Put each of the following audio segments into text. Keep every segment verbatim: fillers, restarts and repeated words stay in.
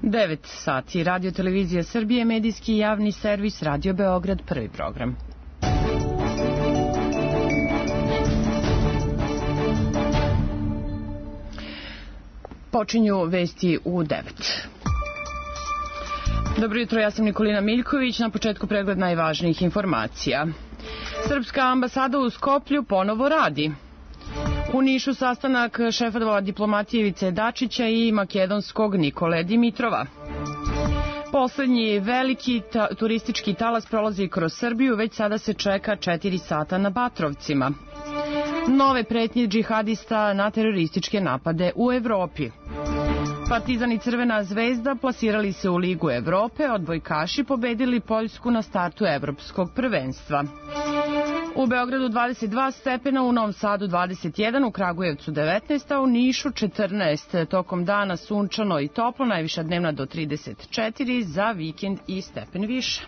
devet sati. Radio Televizija Srbije, medijski javni servis Radio Beograd, prvi program. Počinju vesti u devet. Dobro jutro, ja sam Nikolina Miljković. Na početku pregled najvažnijih informacija. Srpska ambasada u Skoplju ponovo radi. U Nišu sastanak šefova diplomatije Ivice Dačića i makedonskog Nikole Dimitrova. Poslednji veliki ta turistički talas prolazi kroz Srbiju, već sada se čeka četiri sata na Batrovcima. Nove pretnje džihadista na terorističke napade u Evropi. Partizan i Crvena zvezda plasirali se u Ligu Evrope, odbojkaši pobedili Poljsku na startu evropskog prvenstva. U Beogradu dvadeset dva stepena, u Novom Sadu dvadeset jedan, u Kragujevcu devetnaest, a u Nišu četrnaest. Tokom dana sunčano i toplo, najviša dnevna do trideset četiri, za vikend i stepen više.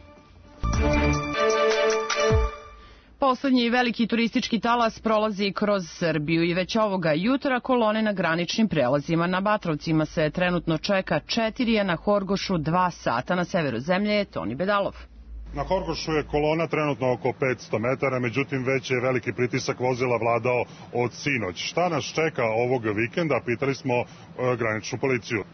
Poslednji veliki turistički talas prolazi kroz Srbiju i već ovoga jutra kolone na graničnim prelazima. Na Batrovcima se trenutno čeka četiri, a na Horgošu dva sata. Na severu zemlje je Toni Bedalov. Na Horgošu je kolona trenutno oko petsto metara, međutim već je veliki pritisak vozila vladao od sinoć. Šta nas čeka ovog vikenda, pitali smo e, graničnu policiju.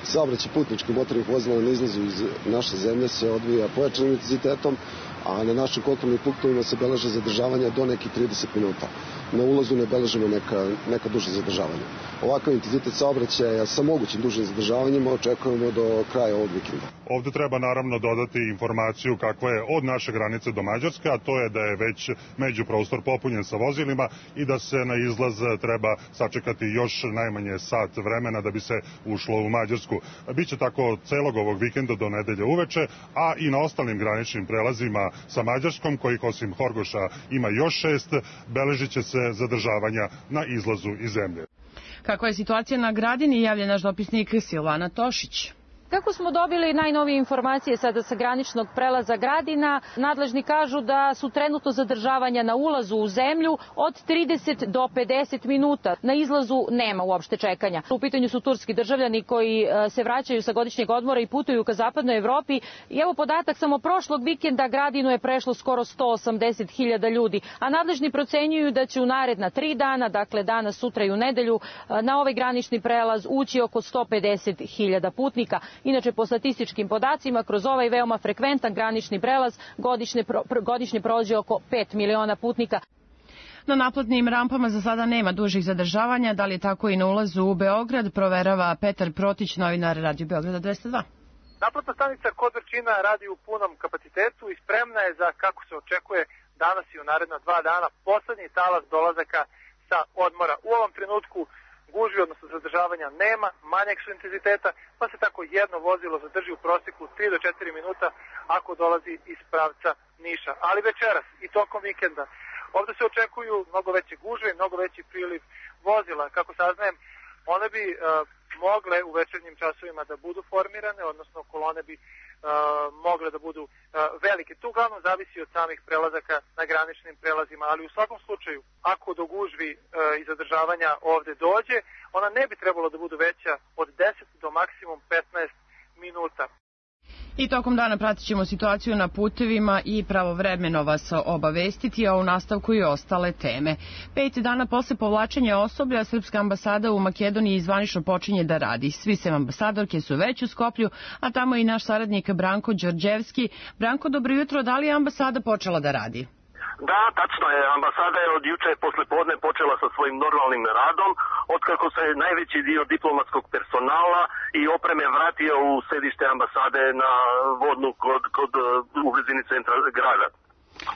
Saobraćaj putničkih motornih vozila na izlazu iz naše zemlje se odvija pojačanim intenzitetom, a na našim kontrolnim punktovima se beleže zadržavanja do nekih trideset minuta. Na ulazu ne beležimo neka, neka duža zadržavanja. Ovakav intenzitet saobraćaja sa mogućim dužim zadržavanjima očekujemo do kraja ovog vikenda. Ovde treba naravno dodati informaciju kakva je od naše granice do Mađarske, a to je da je već međuprostor popunjen sa vozilima i da se na izlaz treba sačekati još najmanje sat vremena da bi se ušlo u Mađarsku. Biće tako celog ovog vikenda do nedelje uveče, a i na ostalim graničnim prelazima sa Mađarskom, kojih osim Horgoša ima još šest, beležit će se zadržavanja na izlazu iz zemlje. Kakva je situacija na Gradini, javlja naš dopisnik Silvana Tošić. Kako smo dobili najnovije informacije sada sa graničnog prelaza Gradina, nadležni kažu da su trenutno zadržavanja na ulazu u zemlju od trideset do pedeset minuta. Na izlazu nema uopšte čekanja. U pitanju su turski državljani koji se vraćaju sa godišnjeg odmora i putuju ka zapadnoj Evropi. I evo podatak, samo prošlog vikenda Gradinu je prešlo skoro sto osamdeset hiljada ljudi, a nadležni procenjuju da će u naredna tri dana, dakle danas, sutra i u nedelju, na ovaj granični prelaz ući oko sto pedeset hiljada putnika. Inače, po statističkim podacima, kroz ovaj veoma frekventan granični prelaz godišnje, pro, godišnje prođe oko pet miliona putnika. Na naplatnim rampama za sada nema dužih zadržavanja. Da li je tako i na ulazu u Beograd, proverava Petar Protić, novinar Radio Beograda dvesta dva. Naplatna stanica kod Vrčina radi u punom kapacitetu i spremna je za, kako se očekuje, danas i u naredna dva dana poslednji talas dolazaka sa odmora. U ovom trenutku gužvi, odnosno zadržavanja, nema, manjeg su intenziteta, pa se tako jedno vozilo zadrži u proseku tri do četiri minuta ako dolazi iz pravca Niša. Ali večeras i tokom vikenda ovde se očekuju mnogo veće gužve i mnogo veći priliv vozila. Kako saznajem, one bi uh, mogle u večernjim časovima da budu formirane, odnosno kolone bi uh, mogle da budu uh, velike. To uglavnom zavisi od samih prelazaka na graničnim prelazima, ali u svakom slučaju, ako do gužvi uh, i zadržavanja ovde dođe, ona ne bi trebalo da budu veća od deset do maksimum petnaest minuta. I tokom dana pratit ćemo situaciju na putevima i pravovremeno vas obavestiti, a u nastavku i ostale teme. Pet dana posle povlačenja osoblja, Srpska ambasada u Makedoniji zvanično počinje da radi. Svi sem ambasadorke su već u Skoplju, a tamo i naš saradnik Branko Đorđevski. Branko, dobro jutro, da li je ambasada počela da radi? Da, tačno je. Ambasada je od juče posle podne počela sa svojim normalnim radom, otkako se najveći dio diplomatskog personala i opreme vratio u sedište ambasade na Vodnu kod, kod u blizini centra grada.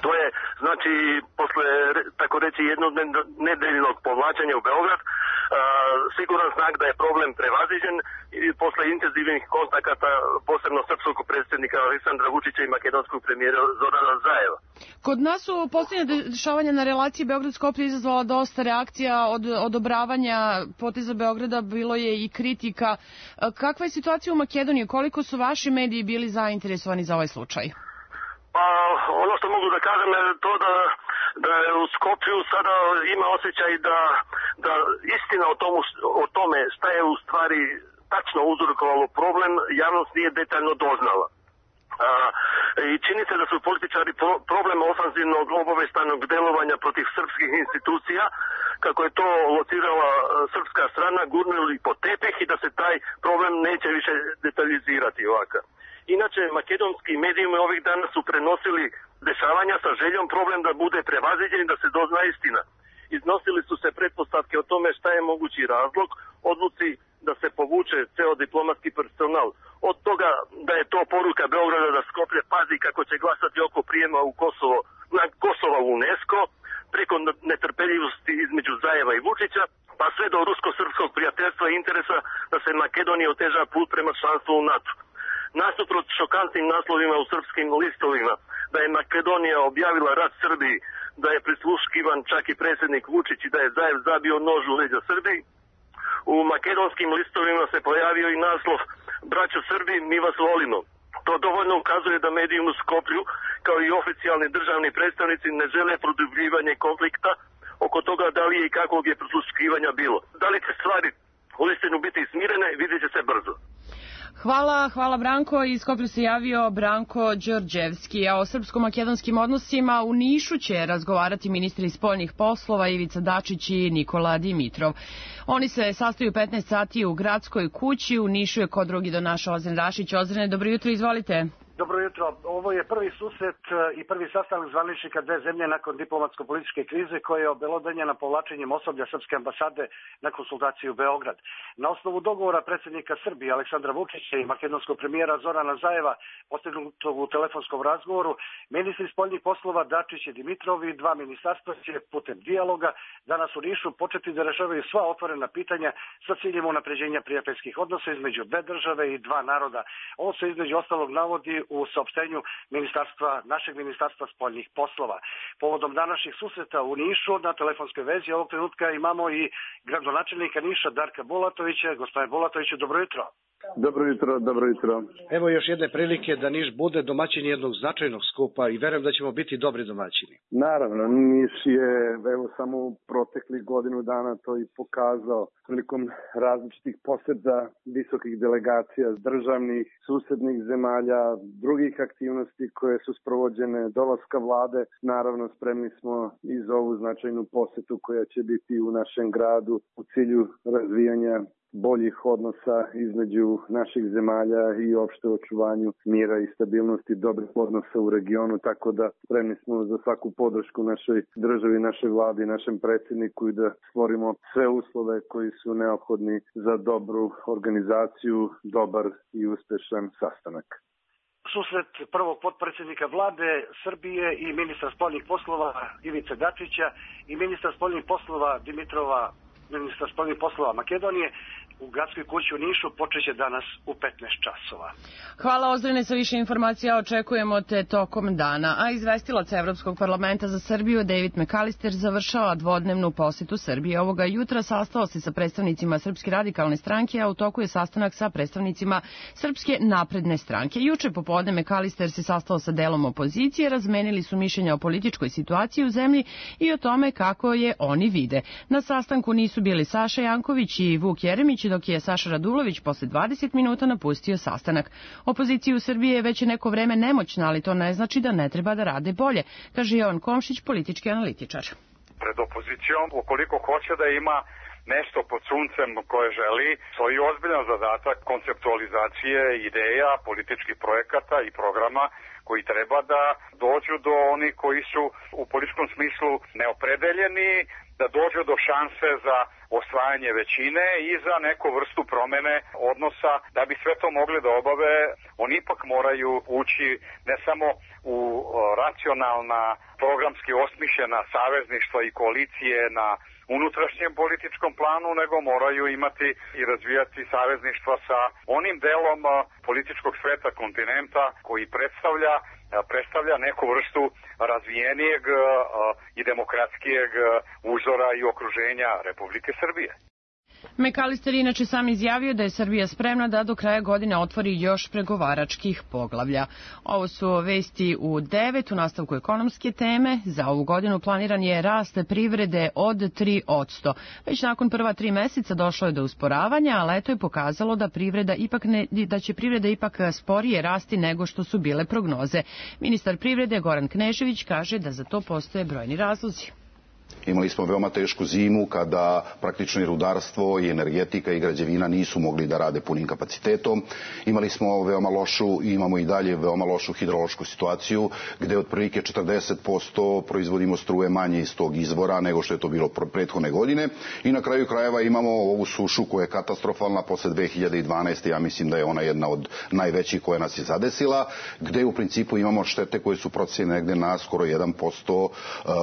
To je, znači, posle, tako reći, jednonedeljnog povlačenja u Beograd, uh, siguran znak da je problem prevaziđen i posle intenzivnih kontakata, posebno srpskog predsjednika Aleksandra Vučića i makedonskog premijera Zorana Zajeva. Kod nas su posljednje dešavanja na relaciji Beograd-Skoplje izazvala dosta reakcija od odobravanja poteza Beograda, bilo je i kritika. Kakva je situacija u Makedoniji? Koliko su vaši mediji bili zainteresovani za ovaj slučaj? Pa, ono što mogu da kažem je to da, da u Skoplju sada ima osjećaj da, da istina o, tomu, o tome šta je u stvari tačno uzrokovalo problem, javnost nije detaljno doznala. A, i čini se da su političari pro, problem ofanzivnog obaveštajnog delovanja protiv srpskih institucija, kako je to locirala srpska strana, gurnuli po tepih i da se taj problem neće više detaljizirati ovakav. Inače, makedonski medijumi ovih dana su prenosili dešavanja sa željom problem da bude prevaziđen i da se dozna istina. Iznosili su se pretpostavke o tome šta je mogući razlog odluci da se povuče ceo diplomatski personal. Od toga da je to poruka Beograda da Skoplje pazi kako će glasati oko prijema u Kosovo, na Kosovo u UNESCO, preko netrpeljivosti između Zajeva i Vučića, pa sve do rusko-srpskog prijateljstva i interesa da se Makedoniji oteža put prema članstvu u NATO. Nasuprot šokantnim naslovima u srpskim listovima da je Makedonija objavila rat Srbiji, da je prisluškivan čak i predsjednik Vučić i da je Zajev zabio nož u leđa Srbiji, u makedonskim listovima se pojavio i naslov Braćo Srbi, mi vas volimo. To dovoljno ukazuje da mediji u Skoplju, kao i oficijalni državni predstavnici, ne žele produbljivanje konflikta oko toga da li je i kakvog je prisluškivanja bilo. Da li će stvari uistinu biti smirene, vidjet će se brzo. Hvala, hvala Branko. Iz Skoplja se javio Branko Đorđevski, a o srpsko-makedonskim odnosima u Nišu će razgovarati ministri spoljnih poslova Ivica Dačić i Nikola Dimitrov. Oni se sastaju petnaest sati u Gradskoj kući. U Nišu je kod drugi do naša Ozren Rašić. Ozrene, dobro jutro, izvolite. Dobro jutro. Ovo je prvi susret i prvi sastanak zvaničnika dve zemlje nakon diplomatsko-političke krize koja je obelodanjena povlačenjem osoblja Srpske ambasade na konsultaciju u Beograd. Na osnovu dogovora predsjednika Srbije Aleksandra Vučića i makedonskog premijera Zorana Zajeva postignutog u telefonskom razgovoru, ministri spoljnih poslova Dačić i Dimitrov i dva ministarstva će putem dijaloga danas u Nišu početi da rešavaju sva otvorena pitanja sa ciljem unapređenja prijateljskih odnosa između dve države i dva naroda. Ovo se između ostalog navodi u saopštenju ministarstva, našeg ministarstva spoljnih poslova. Povodom današnjih susreta u Nišu na telefonskoj vezi ovog trenutka imamo i gradonačelnika Niša Darka Bulatovića. Gospodine Bulatoviću, dobro jutro. Dobro jutro, dobro jutro. Evo još jedne prilike da Niš bude domaćin jednog značajnog skupa i verujem da ćemo biti dobri domaćini. Naravno, Niš je evo samo u proteklih godinu dana to i pokazao prilikom različitih poseta visokih delegacija državnih, susednih zemalja, drugih aktivnosti koje su sprovođene, dolaska vlade. Naravno, spremni smo i za ovu značajnu posetu koja će biti u našem gradu u cilju razvijanja boljih odnosa između naših zemalja i opšte očuvanju mira i stabilnosti dobrih odnosa u regionu, tako da spremni smo za svaku podršku našoj državi, našoj vladi, našem predsjedniku i da stvorimo sve uslove koji su neophodni za dobru organizaciju, dobar i uspešan sastanak. Susret prvog potpredsjednika vlade Srbije i ministra spoljnih poslova Ivice Dačića i ministra spoljnih poslova Dimitrova, ministra spoljnih poslova Makedonije, u Gradskoj kući u Nišu počeće danas u petnaest časova. Hvala Ozrene, sa više informacija očekujemo te tokom dana. A izvestilac Evropskog parlamenta za Srbiju David McAllister završava dvodnevnu posetu Srbije. Ovoga jutra sastao se sa predstavnicima Srpske radikalne stranke, a u toku je sastanak sa predstavnicima Srpske napredne stranke. Juče popodne McAllister se sastao sa delom opozicije, razmenili su mišljenja o političkoj situaciji u zemlji i o tome kako je oni vide. Na sastanku nisu bili Saša Janković i Vuk Jeremić, dok je Saša Radulović posle dvadeset minuta napustio sastanak. Opozicija u Srbiji je već neko vreme nemoćna, ali to ne znači da ne treba da rade bolje, kaže Jovan Komšić, politički analitičar. Pred opozicijom, ukoliko hoće da ima nešto pod suncem koje želi, stoji ozbiljan zadatak konceptualizacije ideja, političkih projekata i programa koji treba da dođu do onih koji su u političkom smislu neopredeljeni, da dođu do šanse za osvajanje većine i za neku vrstu promene odnosa. Da bi sve to mogli da obave, oni ipak moraju ući ne samo u racionalna, programski osmišljena savezništva i koalicije na unutrašnjem političkom planu, nego moraju imati i razvijati savezništva sa onim delom političkog sveta kontinenta koji predstavlja predstavlja neku vrstu razvijenijeg i demokratskijeg uzora i okruženja Republike Srbije. McAllister inače sam izjavio da je Srbija spremna da do kraja godine otvori još pregovaračkih poglavlja. Ovo su vesti u devet u nastavku ekonomske teme. Za ovu godinu planiran je rast privrede od tri posto. Već nakon prva tri meseca došlo je do usporavanja, a leto je pokazalo da, privreda ipak ne, da će privreda ipak sporije rasti nego što su bile prognoze. Ministar privrede Goran Knežević kaže da za to postoje brojni razlozi. Imali smo veoma tešku zimu kada praktično i rudarstvo i energetika i građevina nisu mogli da rade punim kapacitetom. Imali smo veoma lošu i imamo i dalje veoma lošu hidrološku situaciju gde otprilike četrdeset posto proizvodimo struje manje iz tog izvora nego što je to bilo prethodne godine. I na kraju krajeva imamo ovu sušu koja je katastrofalna posle dve hiljade dvanaeste. Ja mislim da je ona jedna od najvećih koja nas je zadesila, gde u principu imamo štete koje su procenjene negde na skoro jedan posto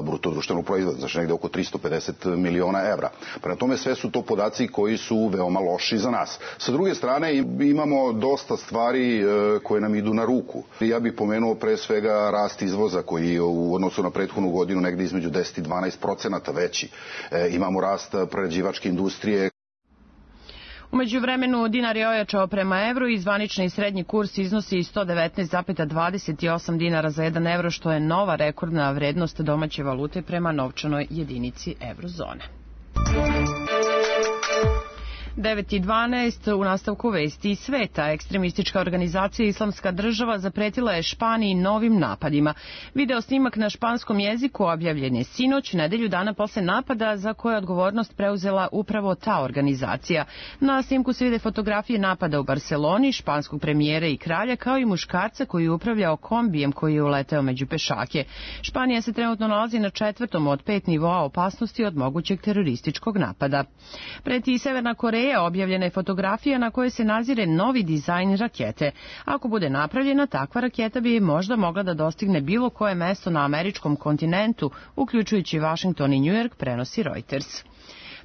bruto društvenog proizvoda, znači negde oko tristo pedeset miliona evra. Prema tome sve su to podaci koji su veoma loši za nas. Sa druge strane imamo dosta stvari koje nam idu na ruku. Ja bih pomenuo pre svega rast izvoza koji je u odnosu na prethodnu godinu negde između deset i dvanaest procenata veći. Imamo rast prerađivačke industrije. U međuvremenu dinar je ojačao prema evru i zvanični srednji kurs iznosi sto devetnaest zarez dvadeset osam dinara za jedan evro, što je nova rekordna vrednost domaće valute prema novčanoj jedinici evrozone. devet i dvanaest u nastavku vesti iz sveta. Ekstremistička organizacija Islamska država zapretila je Španiji novim napadima. Video snimak na španskom jeziku objavljen je sinoć, nedelju dana posle napada za koje je odgovornost preuzela upravo ta organizacija. Na snimku se vide fotografije napada u Barseloni, španskog premijera i kralja, kao i muškarca koji je upravljao kombijem koji je uleteo među pešake. Španija se trenutno nalazi na četvrtom od pet nivoa opasnosti od mogućeg terorističkog napada. Preti i Severna Koreja. Objavljena je fotografija na kojoj se nazire novi dizajn rakete. Ako bude napravljena, takva raketa bi možda mogla da dostigne bilo koje mesto na američkom kontinentu, uključujući Washington i New York, prenosi Reuters.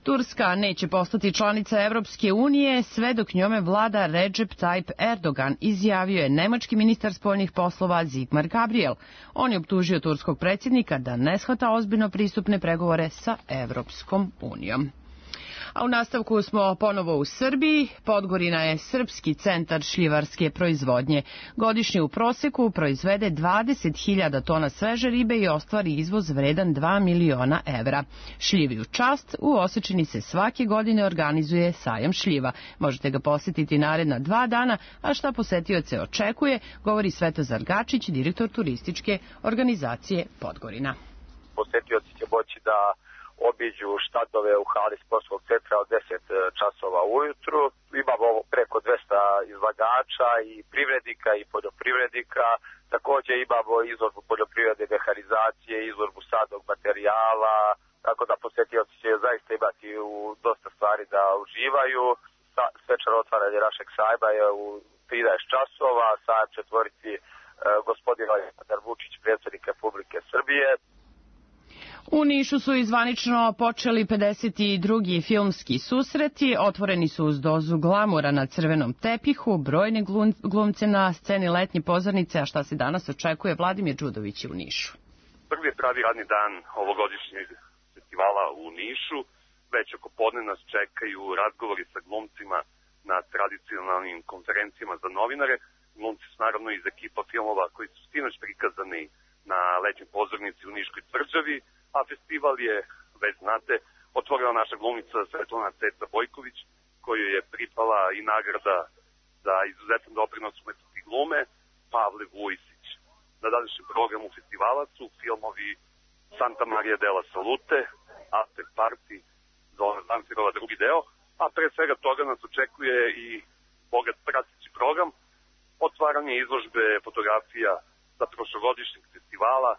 Turska neće postati članica Evropske unije sve dok njome vlada Recep Tayyip Erdogan, izjavio je nemački ministar spoljnih poslova Sigmar Gabriel. On je optužio turskog predsjednika da ne shvata ozbiljno pristupne pregovore sa Evropskom unijom. A u nastavku smo ponovo u Srbiji. Podgorina je srpski centar šljivarske proizvodnje. Godišnje u proseku proizvede dvadeset hiljada tona sveže ribe i ostvari izvoz vredan dva miliona evra. Šljivi u čast, u Osečini se svake godine organizuje sajam šljiva. Možete ga posjetiti naredna dva dana, a šta posetioce očekuje, govori Svetozar Gačić, direktor turističke organizacije Podgorina. Posetioci će moći da obiđu štandove u hali sportskog centra od deset časova ujutru. Imamo preko dvesta izlagača i privrednika i poljoprivrednika. Također imamo izložbu poljoprivredne mehanizacije, izložbu sadnog materijala, tako da posetioci će zaista imati u dosta stvari da uživaju. Svečano otvaranje našeg sajma je u trinaest časova, sajam će otvoriti gospodin Aleksandar Vučić, predsjednik Republike Srbije. U Nišu su izvanično počeli pedeset drugi filmski susreti, otvoreni su uz dozu glamura na crvenom tepihu, brojne glumce na sceni letnje pozornice, a šta se danas očekuje, Vladimir Đudović u Nišu. Prvi je pravi radni dan ovogodišnjeg festivala u Nišu, već oko podne nas čekaju razgovori sa glumcima na tradicionalnim konferencijama za novinare. Glumci su naravno iz ekipa filmova koji su sinoć prikazani na letnjoj pozornici u Niškoj tvrđavi, a festival je, već znate, otvorila naša glumica Svetlana Ceca Bojković, koju je pripala i nagrada za izuzetan doprinos umetnosti glume Pavle Vujsić. Na današnjem programu festivala su filmovi Santa Maria della Salute, After Party, Zona Zamfirova drugi deo, a pre svega toga nas očekuje i bogat prateći program, otvaranje izložbe fotografija sa prošlogodišnjeg festivala,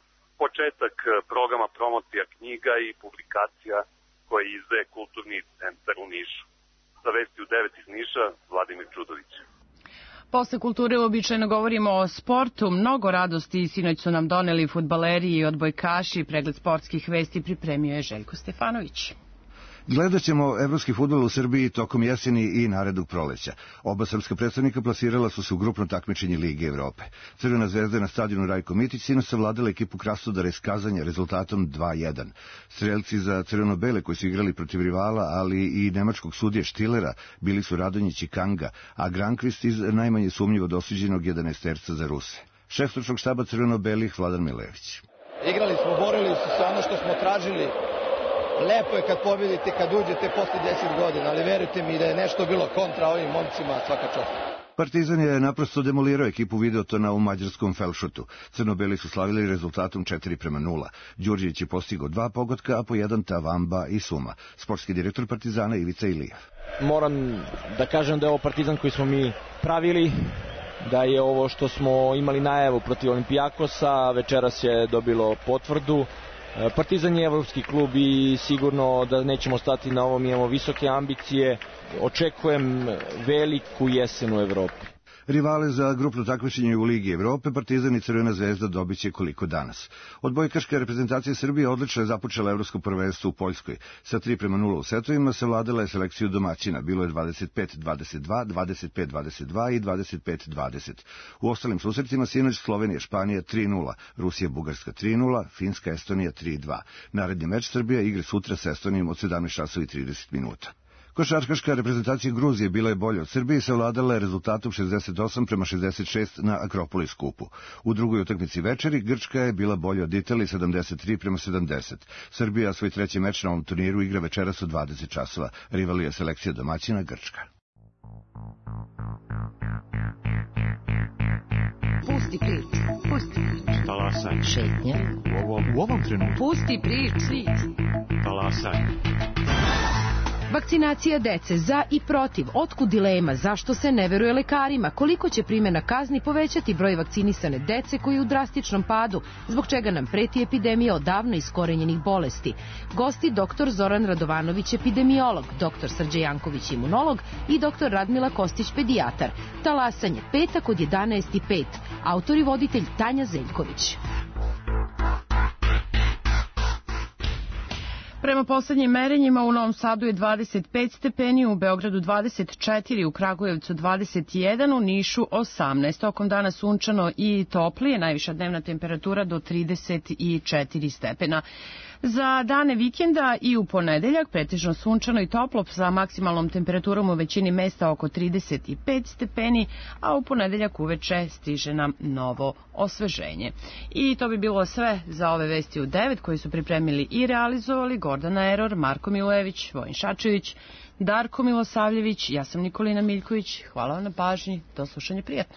početak programa promocija knjiga i publikacija koje izdaje Kulturni centar u Nišu. Za vesti u devet iz Niša, Vladimir Đudović. Posle kulture uobičajeno govorimo o sportu. Mnogo radosti sinoć su nam doneli fudbaleri i odbojkaši. Pregled sportskih vesti pripremio je Željko Stefanović. Gledat ćemo evropski fudbal u Srbiji tokom jeseni i narednog proleća. Oba srpska predstavnika plasirala su se u grupno takmičenje Lige Evrope. Crvena zvezda je na stadionu Rajko Mitić sinoć savladala ekipu Krasnodara iz Kazanja rezultatom dva jedan. Strelci za crveno-bele koji su igrali protiv rivala, ali i nemačkog sudije Štilera, bili su Radonjić i Kanga, a Grankvist iz najmanje sumnjivo dosuđenog jedanaesterca za Ruse. Šef stručnog štaba crveno-belih Vladan Milević. Igrali smo, borili su se ono što smo tražili. Lepo je kad pobjedite, kad uđete posle deset godina, ali verujte mi da je nešto bilo kontra ovim momcima, svaka čast. Partizan je naprosto demolirao ekipu Videotona u mađarskom Felšutu. Crno-beli su slavili rezultatom četiri prema nula. Đurđević je postigao dva pogotka, a po jedan Tavamba i Suma. Sportski direktor Partizana Ivica Ilijev. Moram da kažem da je ovo Partizan koji smo mi pravili, da je ovo što smo imali najavu protiv Olimpijakosa, večeras je dobilo potvrdu. Partizan je evropski klub i sigurno da nećemo stati na ovom, imamo visoke ambicije, očekujem veliku jesen u Evropi. Rivale za grupno takmičenje u Ligi Evrope Partizan i Crvena zvezda dobiće koliko danas. Odbojkaška reprezentacija Srbije odlično je započela evropsko prvenstvo u Poljskoj. Sa tri prema nula u setovima savladala je selekciju domaćina. Bilo je dvadeset pet dvadeset dva, dvadeset pet dvadeset dva i dvadeset pet dvadeset. U ostalim susretima sinoć Slovenija Španija tri nula, Rusija Bugarska tri nula, Finska Estonija tri dva. Naredni meč Srbija igra sutra s Estonijom od sedamnaest časova i trideset minuta. Košarkaška reprezentacija Gruzije bila je bolja od Srbije i savladala je rezultatom šezdeset osam prema šezdeset šest na Akropolis kupu. U drugoj utakmici večeri Grčka je bila bolja od Italije sedamdeset tri prema sedamdeset. Srbija svoj treći meč na ovom turniru igra večeras u dvadeset časova. Rival je selekcija domaćina Grčka. Pusti priču, pusti priču. Talasaj. Šetnja. U ovom, u ovom trenutku. Pusti priču. Talasaj. Vakcinacija dece za i protiv, otkud dilema, zašto se ne veruje lekarima, koliko će primjena kazni povećati broj vakcinisane dece koji je u drastičnom padu, zbog čega nam preti epidemija odavno iskorenjenih bolesti. Gosti doktor Zoran Radovanović, epidemiolog, doktor Srđe Janković, imunolog i doktor Radmila Kostić, pedijatar. Talasanje, petak od jedanaest i pet. Autor i voditelj Tanja Zeljković. Prema poslednjim merenjima u Novom Sadu je dvadeset pet stepeni, u Beogradu dvadeset četiri, u Kragujevcu dvadeset jedan, u Nišu osamnaest. Tokom dana sunčano i toplije, najviša dnevna temperatura do trideset četiri stepena. Za dane vikenda i u ponedeljak pretežno sunčano i toplo sa maksimalnom temperaturom u većini mesta oko trideset pet stepeni, a u ponedeljak uveče stiže nam novo osveženje. I to bi bilo sve za ove vesti u devet koji su pripremili i realizovali Gordana Eror, Marko Milojević, Vojin Šačević, Darko Milosavljević, ja sam Nikolina Miljković. Hvala vam na pažnji, do slušanja, prijatno.